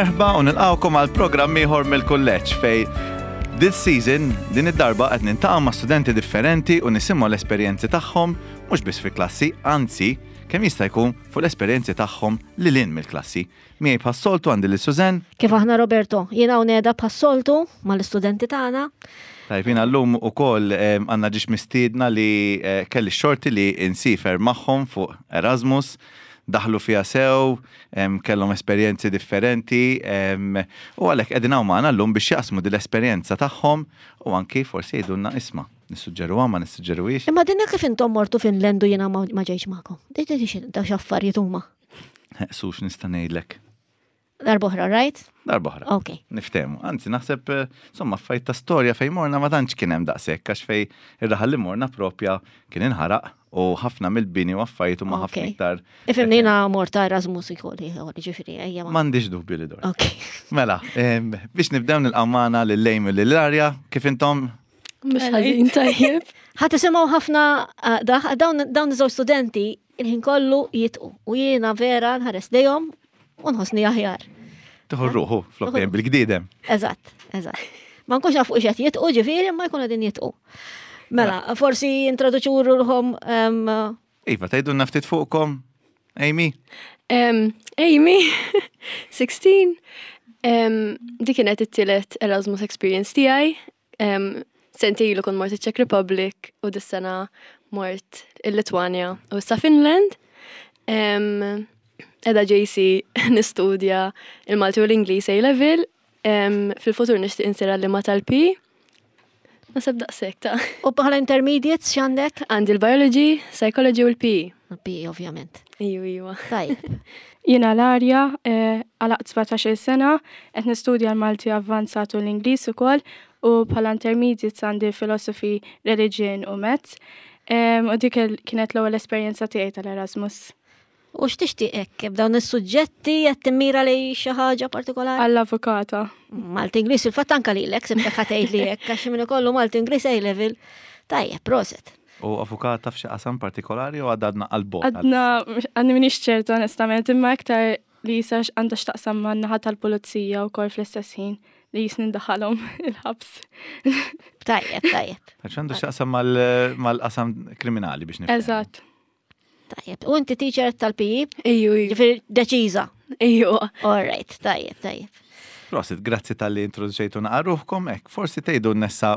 Merħba u nilqawkom għal programm ieħor mill-kulleġġ fej this season din id-darba qed nintaqgħu ma' studenti differenti u nisimgħu l-esperjenzi tagħhom mhux biss fil-klassi, anzi kemm jista' jkun fuq l-esperjenzi tagħhom lil hinn mill-klassi. Miegħi bħas-soltu għandi lil Suzanne. Kif aħna Roberto, jiena hawn qiegħda bħas-soltu mal-istudenti tagħna. Tajb, jiena llum ukoll għandna ġiex mistiedna li eh, kelli xorti li insifer magħhom fuq Erasmus, daħlu fiha sew, kellhom esperjenzi differenti u għalhekk qegħdin hawn magħna llum biex jaqsmu din l-esperjenza tagħhom u anki forsi jgħidulna isma' nissuġġeruha ma nissuġġeruhiex. Imma dinna kif intom mortu Finland u jiena ma ġejx magħkom. Daw x'affarijiet huma. Sux nista' ngħidlek. Darboħra, right? Darboħra. Ok. Niftehmu. Anzi, naħseb, eh, insomma, fajt ta' storja fej morna ma tantx kien hemm daqshekk għax fej ir-raħal li morna propja kien inħaraq u ħafna mill-bini u affarijiet huma ħafna iktar. Ifhimni jiena mort ta' Erasmus ikolli, ġifieri ejja. M'għandix dubju li dor. Ok. Mela, biex nibdew nilqgħu magħna lil Lejm u lil Arja, kif intom? Mhux ħażin tajjeb. Ħa tisimgħu ħafna eh, dawn dawn iż-żewġ studenti il-ħin kollu jitqu u jiena vera nħares lejhom u nħossni aħjar. Tieħu ruħu flok dejjem bil-gdidem. Eżatt, eżatt. Ma nkunx nafu x'qed jitqu ġifieri ma jkunu din jitqu. Mela, forsi introduċu ruħhom. Iva, tgħidulna ftit fuqkom, Amy? Amy, 16, dik kienet it-tielet Erasmus experience tiegħi. Sentejn ilu kont mort iċ-Czech Republic u dis-sena mort il-Litwanja u issa Finland. Edha JC nistudja il-Malti u l-Ingliż A level. Fil-futur nixtieq insir għalliema tal-P. Naseb daqshekk ta' U bħala intermediates x'għandek? Għandi l-biology, psychology u l-PE. L-PE ovvjament. Iju, iju. Tajjeb. Jiena Larja, eh, għalaqt 17-il sena, qed nistudja l-Malti avvanzat u l-Ingliż ukoll u bħala intermediates għandi philosophy, religion u maths. U dik kienet l-ewwel esperjenza tiegħi tal-Erasmus. U x'tixtieq hekk b'dawn is-suġġetti qed timmira lej xi ħaġa partikolari? Għall-avukata. Malti Ingliż fil-fatt anka lilek sibtek ħa tgħid li hekk għax min ikollu Malti Ingliż A level. Tajjeb, proset. U avukata f'xi qasam partikolari u għadna għal-bot? Għadna, għadni minix ċerta onestament, imma iktar li jisa għandha x'taqsam ma' naħa tal-pulizija u kol fl-istess ħin li jisni ndaħalhom il-ħabs. Tajjeb, tajjeb. Għax għandu x'taqsam mal-qasam kriminali biex nifhem. Eżatt. Tajjeb. U inti teacher tal-PE? Iju, iju. Ġifieri deċiża. Iju. All right, tajjeb, tajjeb. Prosit, grazzi tal-li introduċejtu naqarruħkom, ek, forsi tgħidu nessa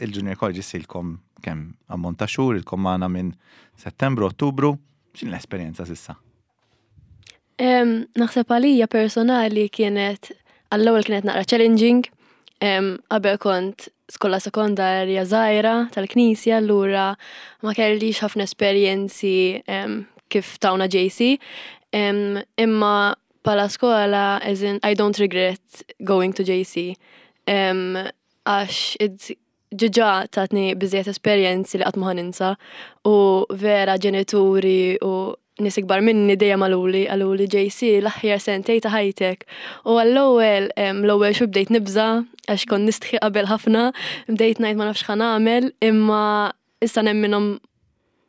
il-Junior College silkom kemm ammont ta' xhur, ilkom magħna minn Settembru, Ottubru, x'in l-esperjenza sissa? Naħseb għalija personali kienet għall-ewwel kienet naqra challenging. Qabel kont skola sekondarja żgħira tal-knisja allura ma kellix ħafna esperjenzi kif tawna JC. Imma bħala skola as in I don't regret going to JC. Għax ġiġa tatni biżejjed esperjenzi li qatt ma ninsa u vera ġenituri u nies ikbar minni dejjem qaluli qaluli JC l-aħjar sentej ta' ħajtek. U għall-ewwel l-ewwel xhur bdejt nibża' għax kont nistħi qabel ħafna, bdejt ngħid ma nafx x'ħa nagħmel, imma issa nemminhom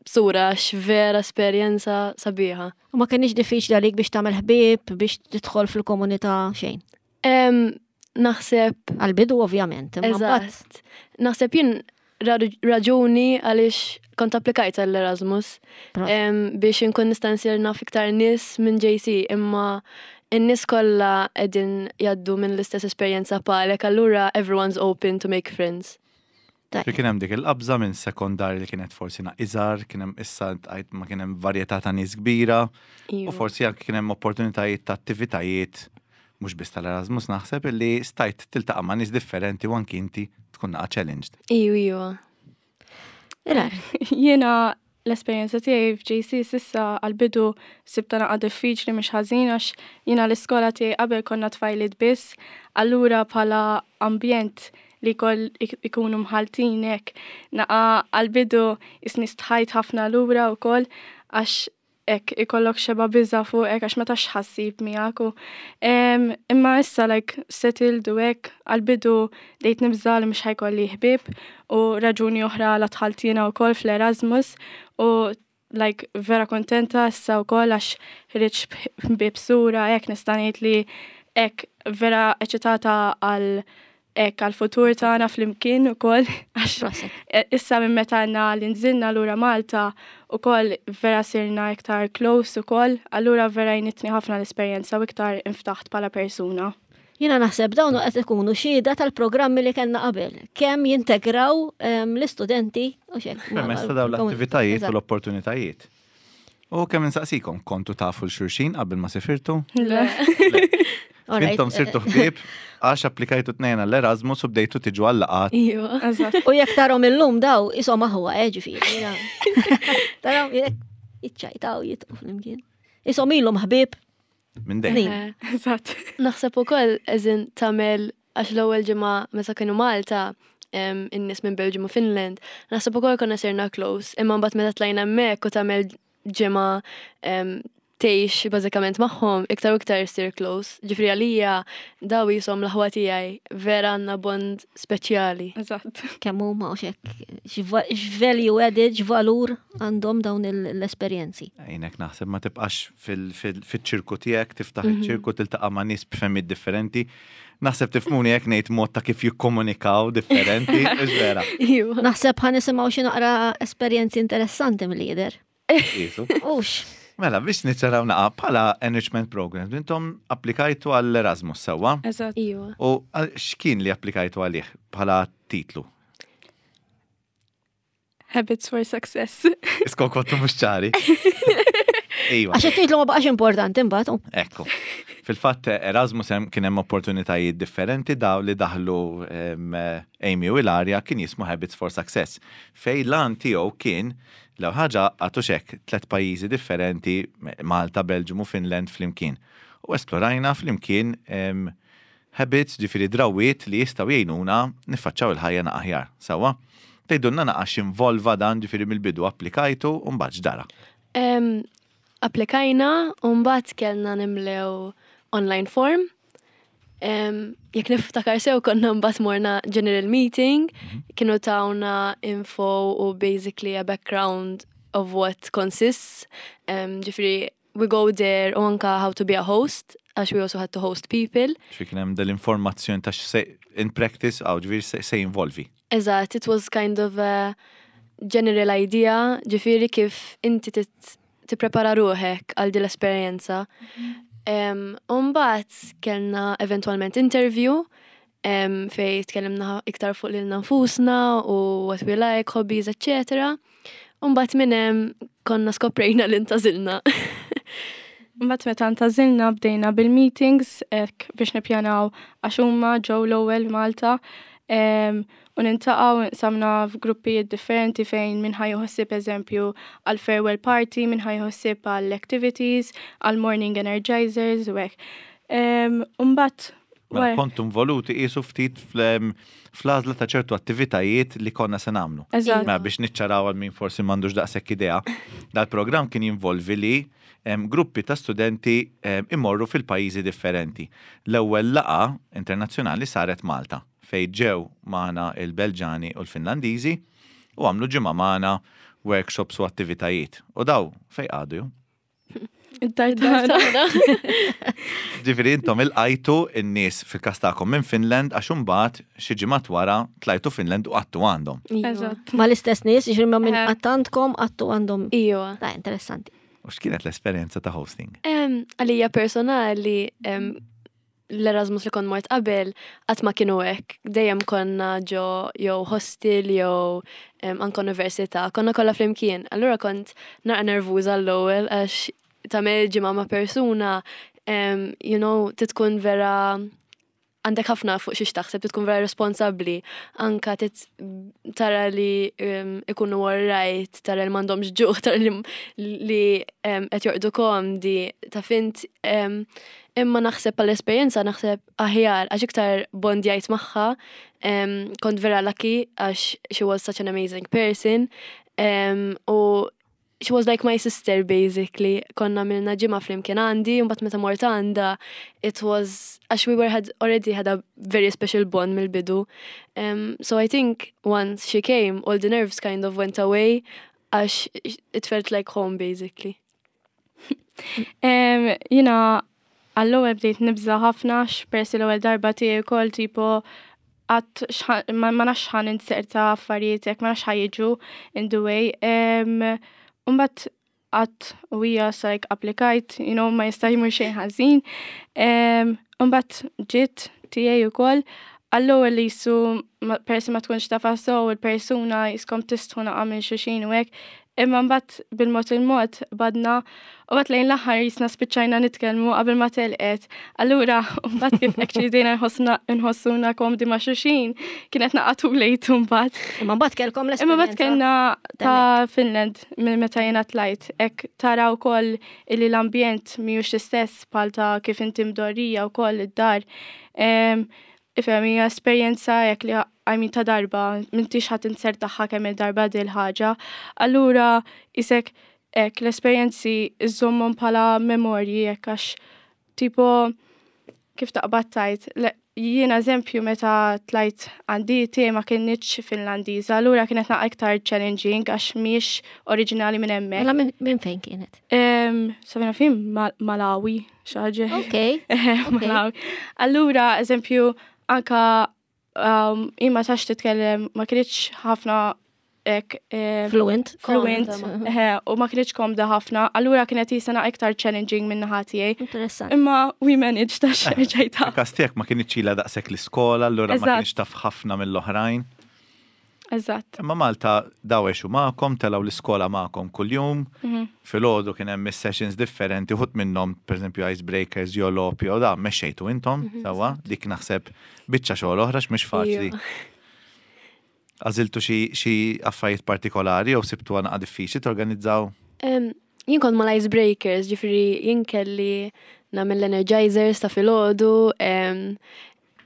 b'sura għax vera esperjenza sabiħa. U ma kienx diffiċli għalik biex tagħmel ħbieb, biex tidħol fil-komunità xejn? Naħseb. Għal-bidu ovvjament. Eżatt. Naħseb jien raġuni għaliex kont applikajt għall-Erasmus biex inkun nista' nsir naf iktar nies minn JC imma n-nies kollha qegħdin jgħaddu minn l-istess esperjenza bħalek allura everyone's open to make friends. Fi kien hemm dik il-qabża minn sekondarja li kienet forsi iżgħar, kien hemm issa għajt ma kien hemm varjetà ta' nies kbira u forsi anke kien hemm opportunitajiet ta' attivitajiet mhux biss tal-Erasmus naħseb illi stajt tiltaqa' ma' nies differenti u anki inti tkun naqa' challenged. Iju, iju. Jiena L-esperjenza tiegħi f'JC s'issa għall-bidu sibtha naqa' diffiċli mhux ħażin għax jiena l-iskola tiegħi qabel konna tfajliet biss, allura bħala ambjent li jkoll ikunu mħalltin hekk naqa' għall-bidu jisni stħajt ħafna lura wkoll għax hekk ikollok xeba' biża' fuqek għax ma tafx x'ħa ssib miegħek u imma issa like settled u hekk għall-bidu bdejt nibża' li mhux ħa jkolli ħbieb u raġuni oħra għala dħalt jiena wkoll fl-Erasmus u like vera kuntenta issa wkoll għax ħriġt ħbieb sura hekk nista' ngħid li. Hekk vera eċitata għal hekk għal futur tagħna flimkien ukoll għax Proset. issa minn meta għandna li nżilna lura Malta ukoll vera sirna iktar close ukoll, allura vera għenitni ħafna l-esperjenza u iktar inftaħt bħala persuna. Jiena naħseb dawn qed ikunu xhieda tal-programmi li kellna qabel. Kemm jintegraw l-istudenti u xek. Permezz ta' dawn l-attivitajiet u l-opportunitajiet. U kemm insaqsikom, kontu tafu 'l xulxin qabel ma sifirtu? Le. Intom sirtu ħbieb għax applikajtu tnejn għall-Erasmus u bdejtu tiġu għal-laqgħat. Iva. Eżatt. U jekk tarahom illum daw, isom aħwa, ġifieri. Tarahom jekk jiċċajtaw jitqu flimkien. Isom ilhom ħbieb. Minn dejjem. Snin. Eżatt. Naħseb ukoll eżin tagħmel għax l-ewwel ġimgħa meta kienu Malta in-nies minn Belgium u Finland, naħseb ukoll konna sirna close, imma mbagħad meta tlajna hemmhekk u tagħmel ġimgħa tgħix bażikament magħhom, iktar u iktar sir close. Ġifieri għalija daw jisom l-aħwa tiegħi vera għandna bond speċjali. Eżatt. Kemm huma u xek, x'value added, x'valur għandhom dawn l-esperjenzi. Għajnek naħseb ma tibqax fil-ċirku tiegħek, tiftaħ iċ-ċirku tiltaqa' ma' nies b'fehmiet differenti. Naħseb tifhmuni jekk ngħid mod ta' kif jikkomunikaw differenti, mhux vera. Iva. Naħseb ħa nisimgħu xi naqra esperjenzi interessanti mill-lider. Isu. Ux, Mela, biex niċċaraw naqa bħala enrichment programs, intom applikajtu għall-Erasmus sewwa? Eżatt. Iva. U x'kien li applikajtu għalih bħala titlu? Habits for success. Iskon kontu mhux ċari. Iva. għax it-titlu ma baqax importanti imbagħad. u. Ekku. Fil-fatt Erasmus hemm kien hemm opportunitajiet differenti daw li daħlu Amy u Ilaria kien jismu Habits for Success. Fej lan tiegħu kien l ħaġa għatu xek tlet pajjiżi differenti Malta, Belgium u Finland flimkien. U esplorajna flimkien habits ġifieri drawiet li jistgħu jgħinuna niffaċċaw il-ħajja aħjar. Sewwa? Tgħidulna naqa x'involva dan ġifieri mill-bidu applikajtu u mbagħad x'dara. Applikajna u mbagħad kellna nimlew online form. Jekk niftakar sew konna mbagħad morna general meeting, kienu tawna info u basically a background of what consists. Ġifieri we go there u anka how to be a host, għax we also had to host people. Ġifieri kien hemm dell-informazzjoni ta' x'se in practice għaw ġifieri se jinvolvi. Eżatt, it was kind of a general idea, ġifieri kif inti tipprepara ruħek għal din l-esperjenza. Umbagħad kellna eventualment interview fej tkellimna iktar fuq lilna nfusna u what we like, hobbies, etc. Umbagħad minn hemm konna skoprejna li ntgħażilna. Mbagħad meta ntgħażilna bdejna bil-meetings hekk biex nippjanaw għax huma ġew l-ewwel Malta u nintaqgħu nqsamna f'gruppijiet differenti fejn min ħa jħossib eżempju għal farewell party, min ħa jħossib għal activities, għal morning energizers u hekk. Mbagħad Mela kontu involuti qisu ftit fl-għażla ta' ċertu attivitajiet li konna se nagħmlu. Eżatt. Mela biex niċċaraw għal min forsi m'għandux daqshekk idea, dal-programm kien jinvolvi li gruppi ta' studenti imorru fil-pajjiżi differenti. L-ewwel laqgħa internazzjonali saret Malta fej ġew magħna il-Belġani u l-Finlandiżi u għamlu ġimgħa magħna workshops u attivitajiet. U daw fej qagħdu ju? Id-dar tagħna. Ġifieri intom ilqajtu n-nies fil-każ tagħkom minn Finland għax imbagħad xi ġimgħat wara tlajtu Finland u qgħadtu għandhom. Iva. Eżatt. Ma l-istess nies, ġifieri ma minn għandkom, qgħadtu għandhom. Iva. Ta' interessanti. U x'kienet l-esperjenza ta' hosting? Għalija personali, l-Erasmus li kont mort qabel, qatt ma kienu hekk. Dejjem konna ġo jew hostel jew anke università, konna kollha flimkien. Allura kont naqra nervuża l-ewwel għax tagħmel ġimgħa ma' persuna, titkun vera għandek ħafna fuq xiex taħseb, titkun vera responsabbli, anka tit tara li ikunu all right, tara li m'għandhomx ġuħ, tara li qed jorqdu komdi, ta' fint, imma naħseb għall-esperjenza naħseb aħjar, għax iktar bondjajt magħha, kont vera lucky għax she was such an amazing person, u she was like my sister basically. Konna għamilna ġimgħa flimkien għandi, u mbagħad meta mort għandha, it was għax we were had already had a very special bond mill-bidu. So I think once she came, all the nerves kind of went away, għax it felt like home basically. Jiena Għall-ewwel bdejt nibża' ħafna x'peress l-ewwel darba tiegħi wkoll tipo qatt ma nafx ħa ninserta affarijiet hekk ma nafx ħa jiġu in the way. Imbagħad qatt u hija like applikajt, you know, ma jista' jmur xejn ħażin. Imbagħad ġiet tiegħi wkoll għall-ewwel li jisu peress ma tkunx tafha sew il-persuna jiskom tistħu naqa' minn xulxin u hekk. Imma mbagħad bil-mod il-mod badna u mbagħad lejn l-aħħar jisna spiċċajna nitkellmu qabel ma telqet. Allura mbagħad kif actually bdejna nħossuna komdi ma' xulxin, kienet naqa' too late mbagħad. Imma mbagħad kellkom l Imma mbagħad kellna ta' Finland minn meta jiena tlajt, hekk tara wkoll illi l-ambjent mhijiex l-istess bħal ta' kif inti mdorrija wkoll id-dar. Ifhem hija esperjenza hekk li I mean ta' darba, m'intix ħa tinsertaħħa kemm il-darba dil ħaġa. Allura isek hekk l-esperjenzi iżżommhom bħala memorji hekk għax tipo kif taqbad tajt. Jiena eżempju meta tlajt għandi tiegħi ma kinitx Finlandiża, allura kienet naqa iktar challenging għax mhijiex oriġinali minn hemmhekk. Mela minn fejn kienet? Sabina fin Malawi, xi ħaġa. Ok. Malawi. Allura, eżempju, anka imma tax titkellem ma kienx ħafna ek Fluent. Fluent, u ma kienx komda ħafna, allura kienet jisana iktar challenging minn naħa tiegħi. Interessant. Imma we managed ta' xerġajta. Każ tiegħek ma kienx ilha daqshekk l-iskola, allura ma kienx taf ħafna mill-oħrajn. Eżatt. Imma Malta daw għexu magħkom, telgħu l-iskola magħkom kuljum. Filgħodu kien hemm sessions differenti, uħud minnhom pereżempju icebreakers jew logħob jew da mexxejtu intom, sewwa, dik naħseb biċċa xogħol oħra x'mhix faċli. Għażiltu xi affarijiet partikolari jew sibtu naqa diffiċli torganizzaw? Jien kont mal icebreakers, ġifieri jien kelli nagħmel l-energizers ta' filgħodu.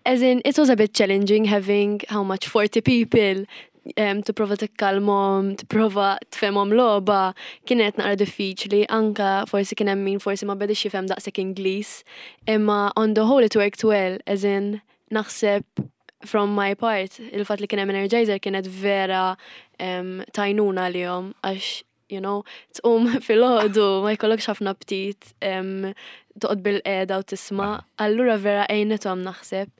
As in, it was a bit challenging having how much 40 people tipprova tikkalmhom, tipprova tfehmhom logħba, kienet naqra diffiċli, anka forsi kien hemm min forsi ma bedix jifhem daqshekk Ingliż, imma on the whole it worked well, as in naħseb from my part, il-fatt li kien hemm energizer kienet vera tajnuna lihom għax you know, tqum filgħodu ma jkollokx ħafna aptit toqgħod bil-qiegħda u tisma', allura vera għejnithom naħseb.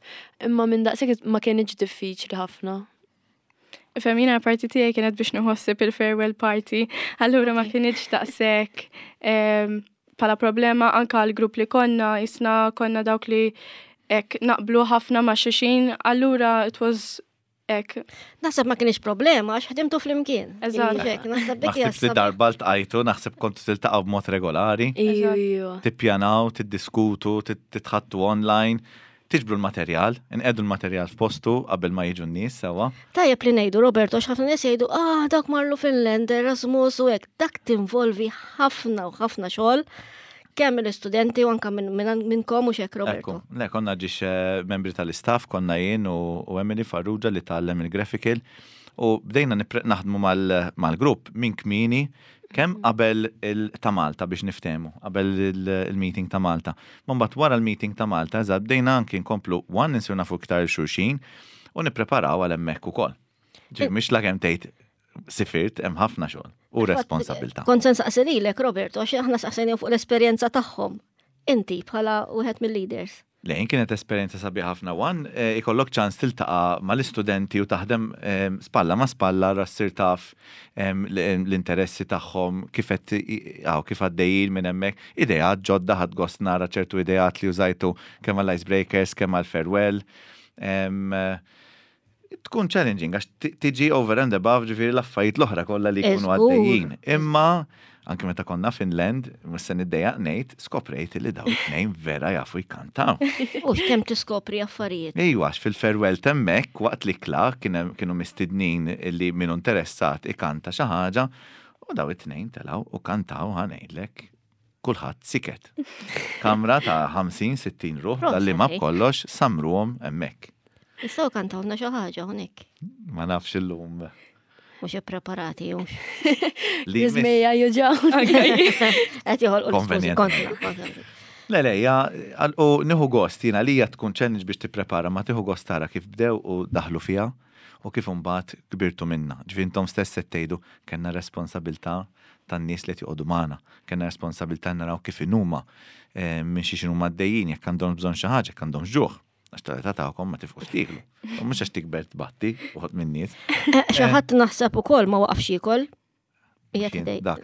Imma minn daqshekk ma kienx diffiċli ħafna. Femina parti tiegħi kienet biex nħossib il-farewell party, allura ma kienx daqshekk bħala problema anka l-grupp li konna, jisna konna dawk li hekk naqblu ħafna ma' xulxin, allura it was hekk. Naħseb ma kienx problema għax ħdimtu flimkien. Eżatt. Hekk, naħseb dik hija Naħseb li darba ltqajtu, naħseb kontu tiltaqgħu b'mod regolari. Iju, iju. Tippjanaw, tiddiskutu, titħattu online, tiġbru l-materjal, inqedu l-materjal f'postu qabel ma jiġu n-nies sewwa. Tajjeb li ngħidu Roberto, għax ħafna nies jgħidu, ah, dak marru Finland, Erasmus u hekk, dak tinvolvi ħafna u ħafna xogħol kemm mill-istudenti u anka minnkom u xek, Roberto. Ekku, le, konna ġiex membri tal-istaff, konna jien u Emily Farrugia li tgħallem il-graphical u bdejna naħdmu mal-grupp minn kmieni kemm qabel ta' Malta biex niftehmu, qabel il-meeting ta' Malta. Ma mbagħad wara l-meeting ta' Malta, eżatt, bdejna anki nkomplu one insir nafu iktar xulxin u nippreparaw għal hemmhekk ukoll. Ġi, mhix la kemm tgħid sifirt, hemm ħafna xogħol u responsabilità. Kont se nsaqsi lilek, Roberto, għax aħna saqsejna fuq l-esperjenza tagħhom. Inti bħala wieħed mill-leaders. Le, kienet esperjenza sabiħa ħafna one, ikollok ċans tiltaqa' mal-istudenti u taħdem spalla ma' spalla ra ssir taf l-interessi tagħhom, kif qed kif għaddejjin minn hemmhekk, ideat ġodda ħadd gost nara ċertu ideat li użajtu kemm għall-icebreakers, kemm għall-farewell. Tkun challenging għax tiġi over and above ġifieri l-affarijiet l-oħra kollha li jkunu għaddejjin. Imma anke meta konna Finland, mhux se niddejjaq ngħid, skoprejt li daw it-tnejn vera jafu jkantaw. U x'kemm tiskopri affarijiet. Ejwa, għax fil-farewell temmek waqt li kla kienu mistednin li minnu interessat ikanta xi ħaġa u daw it-tnejn telgħu u kantaw ħa ngħidlek kulħadd siket. Kamra ta' 50-60 ruħ, dalli ma b'kollox samruhom hemmhekk. Jistgħu kantawna xi ħaġa hawnhekk. Ma nafx illum. Mhux ippreparati hux. Li Jizmeja juġaw. Qed joħolqu l-iskużi Konvenjent. kontra. Le, le, ja, u nieħu gost, jiena li hija tkun challenge biex tipprepara, ma tieħu gost tara kif bdew u daħlu fiha. u kif imbagħad kbirtu minnha. Ġifieri intom stess qed tgħidu kellna responsabilità tan-nies li qed joqogħdu magħna, kellna responsabilità naraw kif inhuma, minn xiex inhuma għaddejjin, jekk għandhomx bżonn xi ħaġa, jekk għandhomx ġuħ. Għax tal-età tagħkom ma tifqux tieklu. U mhux għax tikber tbatti uħud minn nies. Xi ħadd naħseb ukoll ma waqafx jiekol. Dak.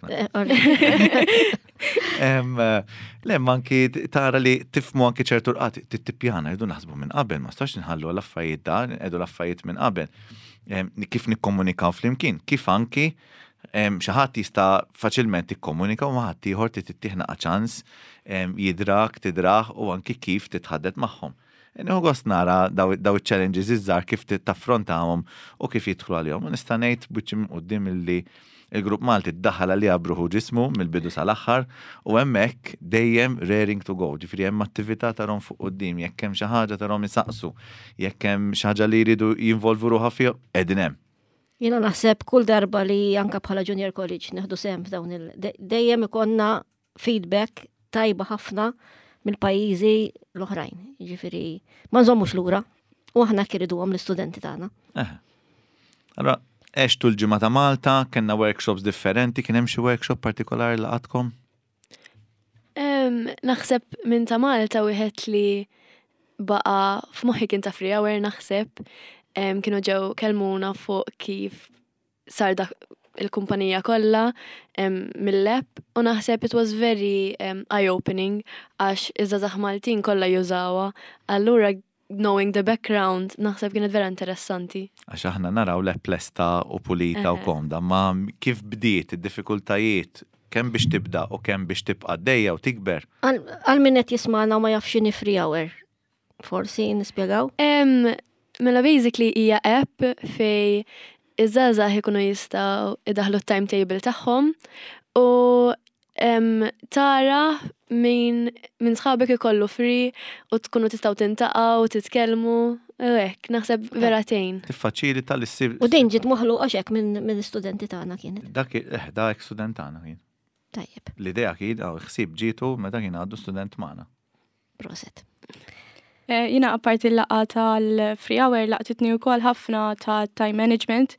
Le, manki tara li tifmu anki ċertu rqat, tippjana, rridu naħsbu minn qabel, ma stax nħallu l-affarijiet da, nqedu l-affarijiet minn qabel. Kif nikkomunikaw flimkien, kif anki xi ħadd jista' faċilment tikkomunika u ma ħadd ieħor trid naqa' ċans jidrak, tidrah u anki kif titħaddet magħhom. Nieħu gost nara daw iċ-challenges iż-żgħar kif taffrontahom u kif jidħlu għalihom. U nista' ngħid b'wiċċi minn quddiem illi il-grupp Malti ddaħħal għaliha b'ruħu ġismu mill-bidu sal-aħħar u hemmhekk dejjem raring to go. Ġifieri hemm attività tarhom fuq quddiem, jekk hemm xi ħaġa tarhom isaqsu, jekk hemm xi ħaġa li jridu jinvolvu ruħha fiha, qegħdin hemm. Jiena naħseb kull darba li anka bħala junior college neħdu sehem f'dawn il dejjem ikonna feedback tajba ħafna mill-pajjiżi l-oħrajn. Jiġifieri ma nżommux lura u aħna kiriduhom l-istudenti tagħna. Allora, għextu l-ġimgħa ta' Malta, kellna workshops differenti, kien hemm xi workshop partikolari laqatkom? Naħseb minn ta' Malta wieħed li baqa' f'moħħi kien ta' Free Hour naħseb kienu ġew kelmuna fuq kif sar dak il-kumpanija kollha mill-app u naħseb it was very eye-opening għax iż-żgħażagħ Maltin kollha jużawha. Allura knowing the background naħseb kienet vera interessanti. Għax aħna naraw l-app lesta u pulita u komda, ma kif bdiet id-diffikultajiet kemm biex tibda u kemm biex tibqa' għaddejja u tikber. Għal min qed jismagħna u ma jafx x'inhi Free Hour, forsi nispjegaw? Mela basically hija app fej iż-żgħażagħ ikunu jistgħu idaħħlu t-timetable tagħhom u tara min minn sħabek ikollu free u tkunu tistgħu tintaqgħu, titkellmu, u hekk, naħseb vera tgħin. Tiffaċilita li ssir. U din ġiet maħluqa x'hekk minn studenti tagħna kienet. Dak dak student tagħna kien. Tajjeb. L-idea kien, ħsieb ġietu meta kien għadu student magħna. Proset. Jina apparti l-laqgħa tal-free hour laqtitni wkoll ħafna ta' time management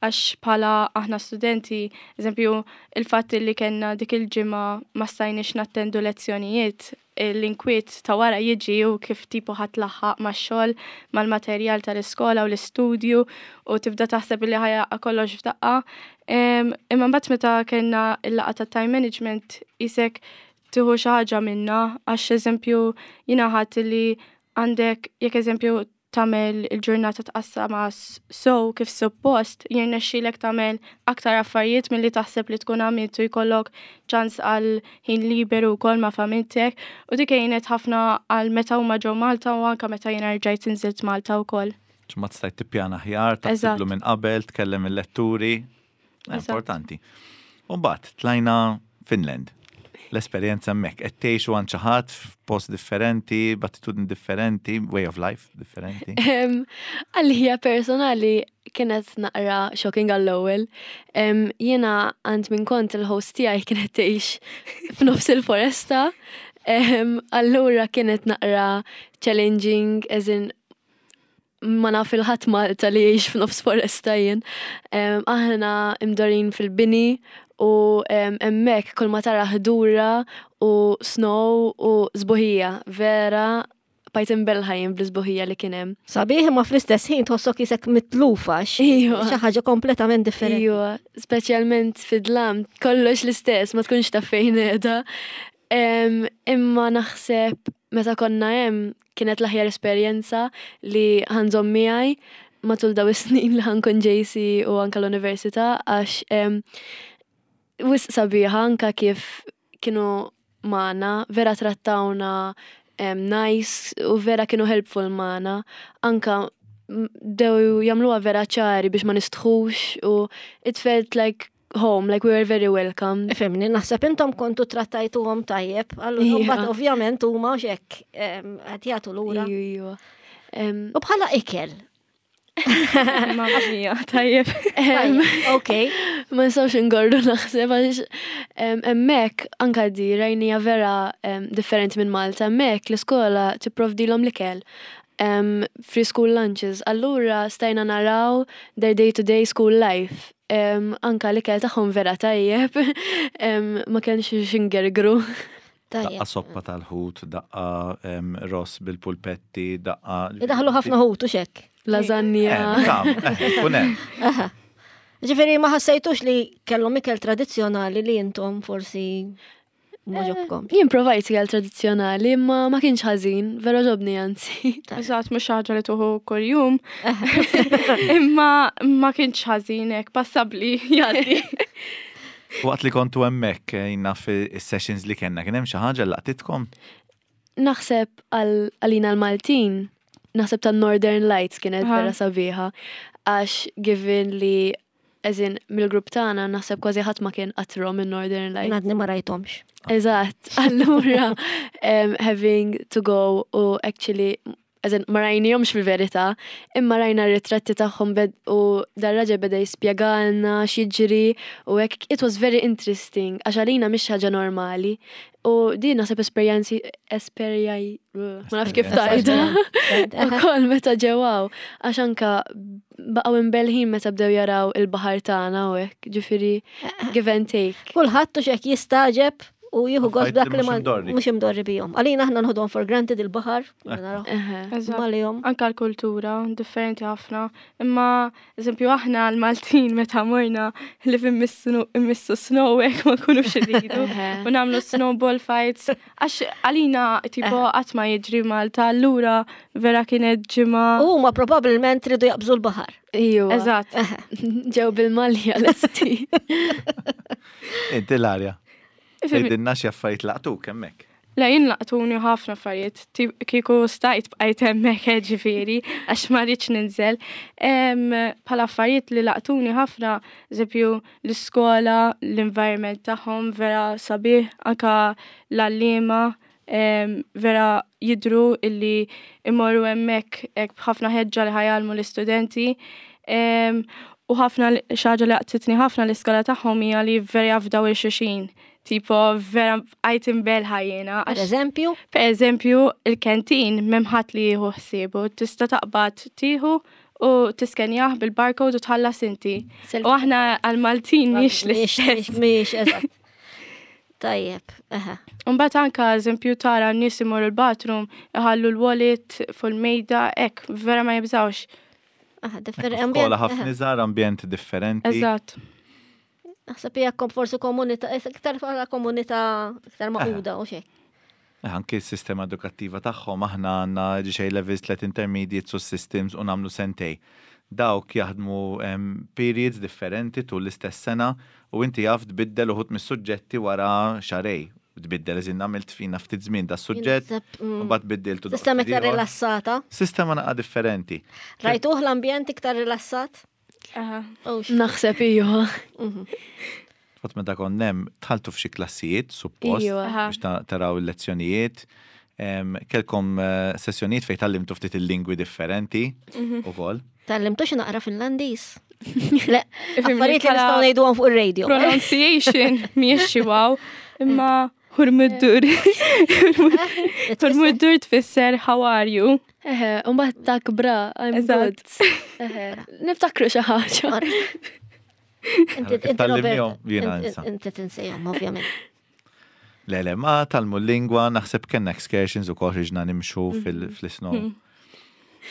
għax bħala aħna studenti, eżempju, il-fatt li kellna dik il-ġimgħa ma stajniex nattendu lezzjonijiet, l-inkwiet ta' wara jiġi u kif tipo ħa tlaħħaq max-xogħol, mal-materjal tal-iskola u l-istudju u tibda taħseb li ħa jaqa' kollox f'daqqa. Imma mbagħad meta kellna l-laqgħa ta' time management isek tieħu xi ħaġa minna għax eżempju jiena ħadd li għandek jekk eżempju tagħmel il-ġurnata tqassama so kif suppost jirnexxielek tagħmel aktar affarijiet milli taħseb li tkun għamilt u jkollok ċans għal ħin liberu wkoll ma' familtek u dik għinet ħafna għal meta huma ġew Malta u anke meta jiena rġajt inżilt Malta wkoll. Ma stajt tippjana aħjar, taħsiblu minn qabel, tkellem il-letturi. Importanti. U mbagħad tlajna Finland. L-esperjenza hemmhekk qed tgħixu għand xi ħadd f'post differenti, b'attitudni differenti, way of life differenti. Għalija personali kienet naqra shocking għall-ewwel. Jiena għand minn kont il-host tiegħi kienet tgħix f'nofs il-foresta. Allura kienet naqra challenging, as in ma naf il-ħadd Malta li jgħix f'nofs foresta jien. Aħna imdorin fil-bini u hemmhekk kull ma tara ħdura u snow u sbuħija vera bqajt imbellħa jien bl-isbuħija li kien hemm. Sabiħ imma fl-istess ħin tħossok isek mitlufa xi ħaġa kompletament differenti. Iva, speċjalment fid-dlam, kollox l-istess, ma tkunx taf fejn qiegħda. Imma naħseb meta konna hemm kienet l-aħjar esperjenza li ħa nżomm miegħi matul daw is-snin li ħa nkun JC u anka l-università għax wisq sabiħa anka kif kienu magħna, vera trattawna nice u vera kienu helpful magħna. Anka bdew jagħmluha vera ċari biex ma nistħux u it felt like home, like we were very welcome. Ifhimni, naħseb intom kontu trattajtuhom tajjeb, allura mbagħad ovvjament huma hekk qed jagħtu lura. Iva. U bħala ikel. Mamma mia, tajjeb. Ok. Ma nistgħux ingorru naħseb għax hemmhekk anka di rajnija vera differenti minn Malta. Hemmhekk l-iskola tipprovdilhom l-ikel. Free school lunches. Allura stajna naraw their day-to-day school life. Anka l-ikel tagħhom vera tajjeb, ma kienx xingergru. Daqqa soppa tal-ħut, daqqa ross bil-pulpetti, daqqa. Idaħlu ħafna ħut u xek. Lasagna. Kunem. Ġifieri ma ħassejtux li kellhom ikel tradizzjonali li intom forsi ma ġobkom. Jien provajt ikel tradizzjonali, imma ma kienx ħażin, vera ġobni anzi. Eżatt, mhux ħaġa li tuħu kuljum. Imma ma kienx ħażin hekk passabbli jgħaddi. Waqt li kontu hemmhekk eh, jien naf is-sessions li kellna kien hemm xi ħaġa li laqtitkom? Naħseb għalina l-Maltin, naħseb ta' Northern Lights kienet vera sabiħa, għax given li as in mill-grupp tagħna naħseb kważi ħadd ma kien qatt rom in-Northern Lights. Għadni ma rajthomx. Eżatt, allura having to go u actually as in ma rajnihomx fil-verità, imma rajna r-ritratti tagħhom u dar-raġel beda jispjegalna x'jiġri u hekk it was very interesting għax għalina mhix ħaġa normali. U din naħseb esperjenzi esperjaj ma nafx kif tajda. Ukoll meta ġewaw għax anka baqgħu imbelħin meta bdew jaraw il-baħar tagħna u hekk, ġifieri give and take. Kulħadd u x'hekk jistaġeb u jieħu gost Affarijiet li dak li mhux ma imdorri. mhux imdorri bihom. Għalina aħna nħodhom for granted il-baħar, naraw. Eżatt. Malihom. Anka l-kultura, differenti ħafna. Imma, eżempju, aħna l-Maltin meta morna li immissu snow hekk ma nkunux irridu. U nagħmlu snowball fights. Għax għalina tipo qatt ma jiġri Malta, allura vera kienet ġimgħa. U huma probabbilment ridu jaqbżu l-baħar. Ejwa. Eżatt. Ġew bil-malja lesti. Inti l-arja. Tgħidilna xi affarijiet laqtuk hemmhekk. Le, jien laqtuni ħafna affarijiet, kieku stajt bqajt hemmhekk eh, ġifieri, għax ma rridx ninżel. Bħala affarijiet li laqtuni ħafna, eżempju l-iskola, l-environment tagħhom vera sabiħ, anka l-għalliema vera jidhru illi imorru hemmhekk hekk b'ħafna ħeġġa li ħajgħallmu l-istudenti. U ħafna xi ħaġa li laqtitni ħafna l-iskola tagħhom hija li vera jafdaw il-xulxin. Tipo, vera bqajt imbelħa jiena. Per eżempju? Per eżempju, il-kentin m'hemm ħadd li jieħu ħsiebu. Tista' taqbad tieħu u tiskenjah bil-barcode u tħallas inti. U aħna għal-Maltin mhix l-istess. Mhix, eżatt. Tajjeb, eħe. Mbagħad anka eżempju tara n-nies imorru l-bathroom, iħallu l-wallet fuq il-mejda, hekk vera ma jibżgħux. Aha, differ- Skola ħafna iżgħar, ambjent differenti. Eżatt. Naħseb hija forsi komunità, iktar bħala komunità iktar maquda u xejn. Eh, anki s-sistema edukattiva tagħhom aħna għandna ġi levels tlet intermediates u systems u nagħmlu sentej. Dawk jaħdmu periods differenti tul l-istess sena u inti jaf tbiddel uħud mis-suġġetti wara xarej. Tbiddel eżin għamilt fina ftit żmien da suġġett u mbagħad biddiltu. Sistema iktar rilassata. Sistema naqa differenti. Rajtuh l-ambjent iktar rilassat? Naħseb iva. Fatt meta kont hemm tħaltu f'xi klassijiet, suppost, biex taraw il-lezzjonijiet. Kelkom eh, sessjonijiet fejn tallimtu ftit il-lingwi differenti mhm. ukoll. Tallimtu xi naqra Finlandiż. Le, affarijiet li nistgħu ngħiduhom fuq ir-radio. Pronunciation mhijiex xi wow, imma hurmuddur. Hurmuddur tfisser how are you? Eħe, mbagħad tak bra, I'm good. Eħe, niftakru xi ħaġa. Inti tinsejhom, ovvjament. Le, le, ma talmu l-lingwa, naħseb kellna excursions u kol ħriġna nimxu mhm. fil-snow. Mhm.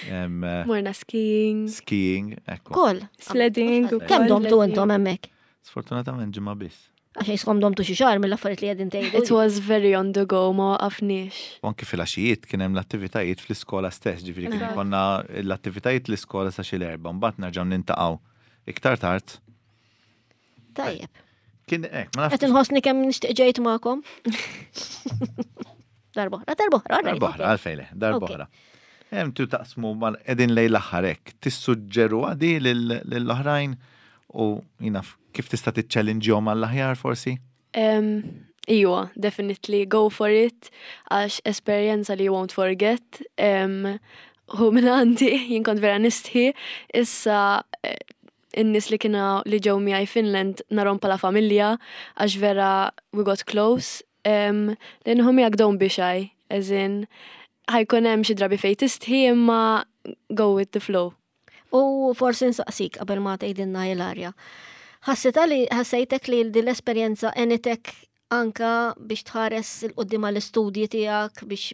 Eh, Morna skiing. Skiing, ekku. Kol. Sledding. Kemm domtu intom hemmhekk? Sfortunatament ġimgħa biss. Għax jiskom domtu xi xahar mill-affarijiet li qegħdin tgħidu. It was very on the go, ma waqafniex. U anki fil-għaxijiet kien hemm l-attivitajiet fl-iskola stess, ġifieri kien konna l-attivitajiet l-iskola sa xi l-erba' mbagħad nerġgħu nintaqgħu iktar tard. Tajjeb. Kien hekk, ma nafx. Qed inħossni kemm nixtieq ġejt magħkom. Darbohra, darbohra, darbohra, għalfejn le, darbohra. Hemm tu taqsmu mal qegħdin lejn l-aħħar hekk, tissuġġeru għadi lill-oħrajn u jina kif tista' tiċċellinġihom għall-aħjar forsi? Iwa, definitely go for it, għax esperjenza li you won't forget. U minn għandi, jien kont vera nistħi, issa eh, in-nies li kienu li ġew miegħi Finland narhom bħala familja għax vera we got close. Li nħu miegħek don't be shy, as in Ħa jkun hemm xi drabi fejn tistħi imma go with the flow. U forsi nsaqsik qabel ma tgħidilna Ilaria. Ħassita li ħassejtek li din l-esperjenza għenitek anka biex tħares 'il quddiem għall-istudji tiegħek biex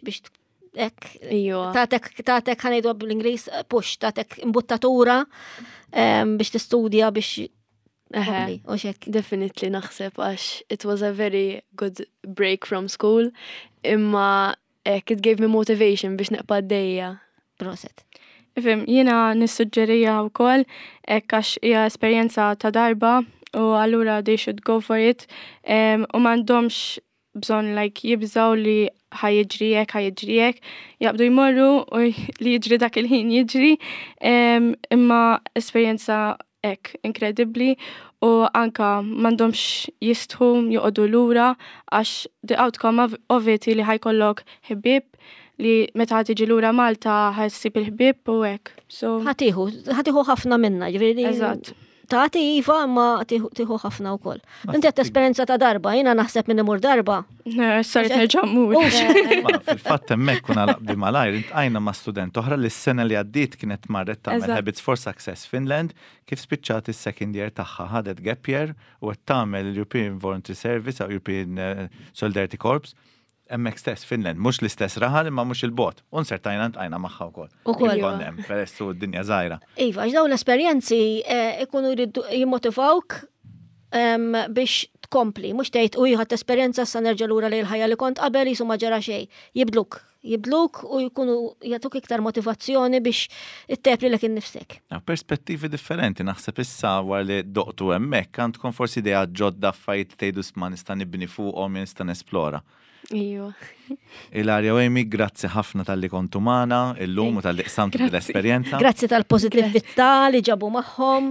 hekk tagħtek tagħtek ħa ngħidu bl-Ingliż push, tagħtek imbuttatura biex tistudja biex U xek. Definitely naħseb għax it was a very good break from school imma hekk it gave me motivation biex nibqa' għaddejja. Proset. Ifhem, jiena nissuġġerija wkoll hekk għax hija esperjenza ta' darba u allura they should go for it u m'għandhomx bżonn like jibżaw li ħa jiġri hekk, ħa jiġri hekk, jaqbdu jmorru u li jiġri dak il-ħin jiġri, imma esperjenza hekk inkredibbli u anka m'għandhomx jistħu joqogħdu lura għax the outcome of it li ħa jkollok ħbieb li meta tiġi lura Malta ħa ssib il-ħbieb u hekk. So ħa tieħu, ħa tieħu ħafna minna, ġifieri. Eżatt. Tagħti iva imma tieħu ħafna wkoll. Inti qed esperjenza ta' darba, jiena naħseb minn imur darba. Saret nerġa' mmur. Fil-fatt hemmhekk kun għalaq malajr, iltqajna ma' student oħra li s-sena li għaddiet kienet marret tagħmel Habits for Success Finland, kif spiċċat is-second year tagħha ħadet gap year u qed tagħmel European Voluntary Service jew European Solidarity Corps hemmhekk stess Finland, mhux l-istess raħal imma mhux il-bogħod. U nsertajna ltqajna magħha wkoll. Ukoll. Konna hemm, peress u d-dinja żgħira. Iva, għax dawn l-esperjenzi ikunu jridu jimmotivawk biex tkompli, mhux tgħid u ħadt esperjenza sa nerġa' lura lejn il-ħajja li kont qabel jisu ma ġara xejn. Jibdluk, jibdluk u jkunu jagħtuk iktar motivazzjoni biex ittejjeb lilek innifsek. Perspettivi differenti, naħseb issa wara li doqtu hemmhekk għandkom forsi idea ġodda affarijiet tgħidu ma nista' nibni fuqhom, nista' nesplora. Iva. Ilaria u Amy, grazzi ħafna talli kontu magħna illum u talli qsamtu l-esperjenza. Grazzi tal-pozitività li ġabu magħhom,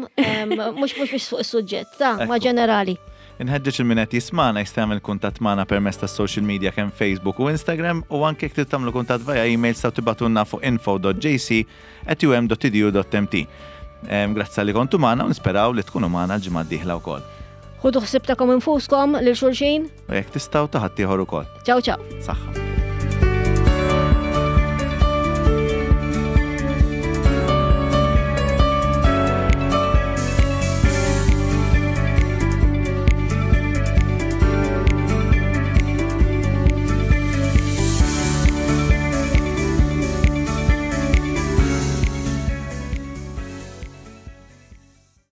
mhux mhux biex fuq is-suġġett, ta' ma ġenerali. Inħeġġeġ il min qed jismana jista' jagħmel kuntatt magħna permezz tas-social media kemm Facebook u Instagram u anke jekk trid tagħmlu kuntatt via email sa tibagħtulna fuq info.jc@um.edu.mt. Grazzi talli kontu magħna u nisperaw li tkunu magħna l-ġimgħa d-dieħla wkoll. Ħudu ħsieb tagħkom infuskom lil xulxin. U jekk tistgħu ta' ħaddieħor ukoll. Ciao ciao. Saħħa.